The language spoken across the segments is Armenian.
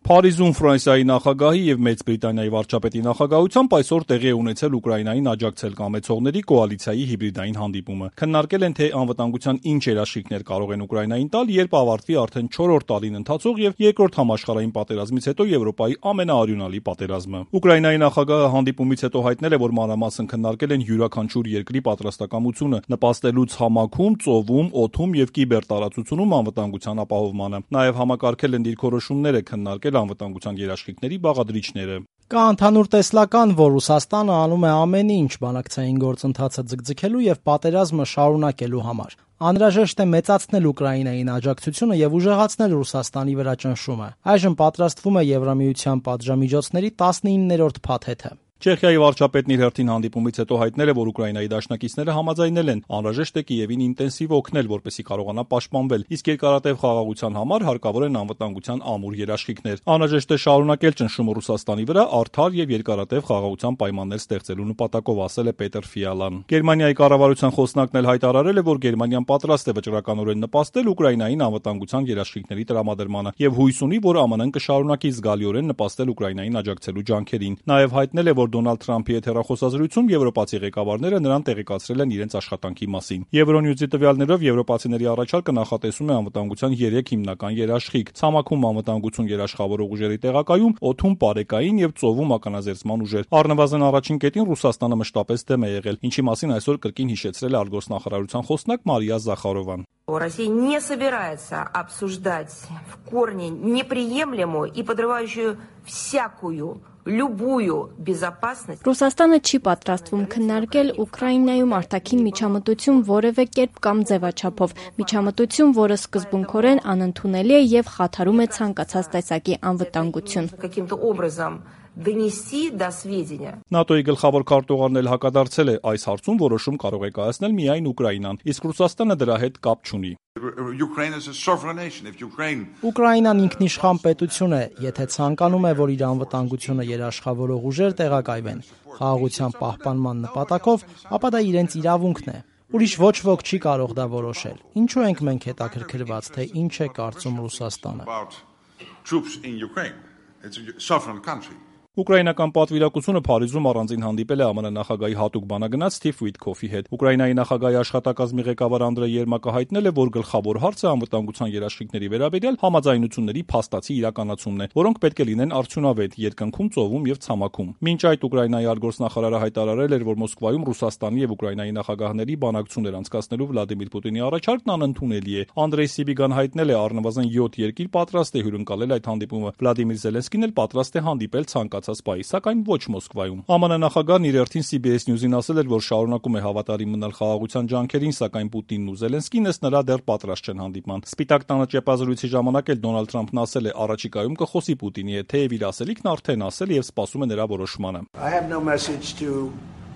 Փարիզում Ֆրանսիայի նախագահի եւ Մեծ Բրիտանիայի վարչապետի նախագահությամբ այսօր տեղի է ունեցել Ուկրաինային աջակցել կամեցողների կոալիցիայի հիբրիդային հանդիպումը։ Քննարկել են, թե անվտանգության ինչ երաշխիքներ կարող են Ուկրաինային տալ, երբ ավարտվի արդեն 4-րդ տարին ընթացող եւ երկրորդ համաշխարհային պատերազմից հետո Եվրոպայի ամենաարյունալի պատերազմը։ Ուկրաինայի նախագահը հանդիպումից հետո հայտնել է, որ մանրամասն քննարկել են յուրաքանչյուր երկրի պատրաստակամությունը նպաստելուց համակում, ծովում, օդում եւ կիբերտարածությունում անվտանգության ապահովմանը։ Նաեւ համակարգել են դիրքորոշումները, քննարկել անվտանգության երաշխիքների բաղադրիչները։ Կա ընդհանուր տեսլական, որ Ռուսաստանը անում է ամեն ինչ բանակցային գործընթացը ձգձգելու եւ պատերազմը շարունակելու համար։ Անհրաժեշտ է մեծացնել Ուկրաինային աջակցությունը եւ ուժեղացնել Ռուսաստանի վրա ճնշումը։ Այժմ պատրաստվում է Եվրամիության պատժամիջոցների 19-րդ փաթեթը։ Չեխիայի վարչապետն իր հերթին հանդիպումից հետո հայտնել է, որ Ուկրաինայի դաշնակիցները համաձայնել են անհրաժեշտ է Կիևին ինտենսիվ օգնել, որպեսզի կարողանա պաշտպանվել, իսկ երկարատև խաղաղության համար հարկավոր են անվտանգության ամուր երաշխիքներ։ Անհրաժեշտ է շարունակել ճնշումը Ռուսաստանի վրա արդար եւ երկարատև խաղաղության պայմաններ ստեղծելու նպատակով, ասել է Պետր Ֆիալան։ Գերմանիայի կառավարության խոսնակն էլ հայտարարել է, որ Գերմանիան պատրաստ է վճռականորեն նպաստել Ուկրաինային անվտանգության երաշխիքների տրամադրմանը եւ հույս ունի, որ ԱՄՆ-ն կշարունակի զգալիորեն նպաստել Ուկրաինային աջակցելու ջանքերին։ Նաեւ հայտնել է, որ Դոնալդ Թրամփի հետ հեռախոսազրույցում եվրոպացի ղեկավարները նրան տեղեկացրել են իրենց աշխատանքի մասին։ Եվրոնյուզի տվյալներով եվրոպացիների առաջարկը նախատեսում է անվտանգության 3 հիմնական երաշխիք՝ ցամաքում անվտանգություն երաշխավորող ուժերի տեղակայում, օդում պարեկային եւ ծովում ականազերծման ուժեր։ Առնվազն առաջին կետին Ռուսաստանը մշտապես դեմ է եղել, ինչի մասին այսօր կրկին հիշեցրել է արտգործնախարարության խոսնակ Մարիա Զախարովան։ Россия не собирается обсуждать в корне неприемлемую и подрывающую всякую любую безопасность. Ռուսաստանը չի պատրաստվում քննարկել Ուկրաինայում արտաքին միջամտություն որևէ կերպ կամ ձևաչափով, միջամտություն, որը սկզբունքորեն անընդունելի է եւ խաթարում է ցանկացած տեսակի անվտանգություն։ Каким-то образом донести до сведения. ՆԱՏՕ-ի գլխավոր քարտուղարն էլ հակադարձել է, այս հարցում որոշում կարող է կայացնել միայն Ուկրաինան, իսկ Ռուսաստանը դրա հետ կապ չունի։ Ուկրաինան ինքնիշխան պետություն է, եթե ցանկանում է, որ իր անվտանգությունը երաշխավորող ուժեր տեղակայվեն խաղաղության պահպանման նպատակով, ապա դա իրենց իրավունքն է։ Ուրիշ ոչ ոք չի կարող դա որոշել։ Ինչու ենք մենք հետաքրքրված, թե ինչ է կարծում Ռուսաստանը։ Ուկրաինական պատվիրակությունը Փարիզում առանձին հանդիպել է ԱՄՆ նախագահի հատուկ բանագնաց Սթիվ Ուիթքոֆի հետ։ Ուկրաինայի նախագահի աշխատակազմի ղեկավար Անդրեյ Երմակը հայտնել է, որ գլխավոր հարցը անվտանգության երաշխիքների վերաբերյալ համաձայնությունների փաստացի իրականացումն է, որոնք պետք է լինեն արդյունավետ երկնքում, ծովում եւ ցամաքում։ Մինչ այդ Ուկրաինայի արտգործնախարարը հայտարարել էր, որ Մոսկվայում Ռուսաստանի եւ Ուկրաինայի նախագահների բանակցություններ անցկացնելու Վլադիմիր Պուտինի առաջարկն անընդունելի է։ Անդրեյ Սիբիգան հայտնել է, առնվազն 7 երկիր պատրաստ է հյուրընկալել այդ հանդիպումը։ Վլադիմիր Զելենսկին էլ պատրաստ է հանդիպել ցանկացած պահի, սակայն ոչ Մոսկվայում։ ԱՄՆ նախագահն իր հերթին CBS News-ին ասել էր, որ շարունակում է հավատարիմ մնալ խաղաղության ջանքերին, սակայն Պուտինն ու Զելենսկին ըստ նրա դեռ պատրաստ չեն հանդիպման։ Սպիտակ տանը ճեպազրույցի ժամանակ էլ Դոնալդ Թրամփն ասել է, առաջիկայում կխոսի Պուտինի հետ, թեև իր ասելիքն արդեն ասել եւ սպասում է նրա որոշմանը։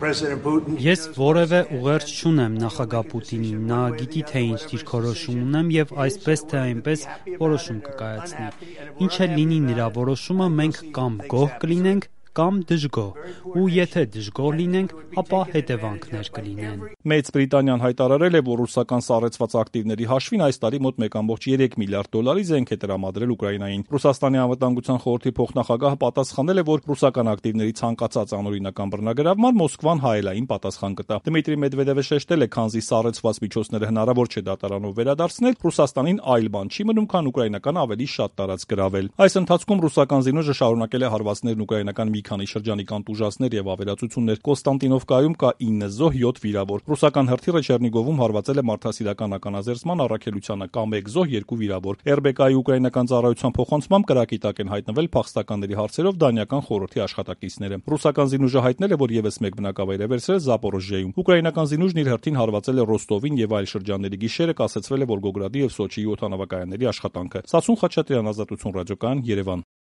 Ես որևէ ուղերձ չունեմ նախագահ Պուտինին, նա գիտի, թե ինչ դիրքորոշում ունեմ եւ այսպես թե այնպես որոշում կկայացնի։ Ինչ էլ լինի նրա որոշումը, մենք կամ գոհ կլինենք, կամ դժգոհ, ու եթե դժգոհ լինենք, ապա հետևանքներ կլինեն։ Մեծ Բրիտանիան հայտարարել է, որ ռուսական սառեցված ակտիվների հաշվին այս տարի մոտ 1.3 միլիարդ դոլարի զենք է տրամադրել Ուկրաինային։ Ռուսաստանի անվտանգության խորհրդի փոխնախագահը պատասխանել է, որ ռուսական ակտիվների ցանկացած անօրինական բռնագրավման Մոսկվան հայելային պատասխան կտա։ Դմիտրի Մեդվեդևը շեշտել է, քանզի սառեցված միջոցները հնարավոր չէ դատարանով վերադարձնել, Ռուսաստանին այլ բան չի մնում, քան ուկրաինական ավելի շատ տարածք գրավել։ Այս ընթացքում ռուսական զինուժը շարունակել է հարվածներն ուկրաինական մի քանի շրջանի կանտուժացներ եւ ավերածություններ։ Կոստանտինովկայում կա 9 զոհ, 7 վիրավոր։ Ռուսական հրթիռը Չեռնիգովում հարվածել է մարդասիրական ականազերծման առաքելությանը, կա 1 զոհ, 2 վիրավոր։ RBK-ի ուկրաինական ծառայության փոխանցմամբ կրակի տակ են հայտնվել փախստականների հարցերով դանիական խորհրդի աշխատակիցները։ Ռուսական զինուժը հայտնել է, որ եւս մեկ բնակավայր է վերցրել Զապորոժիայում։ Ուկրաինական զինուժն իր հերթին հարվածել է Ռոստովին եւ այլ շրջանների գիշերը կասեցվել է Վոլգոգրադի եւ Սոչիի օդանավակայանների աշխատանքը։ Սասուն Խաչատրյան, Ազատություն ռադիոկայան, Երևան։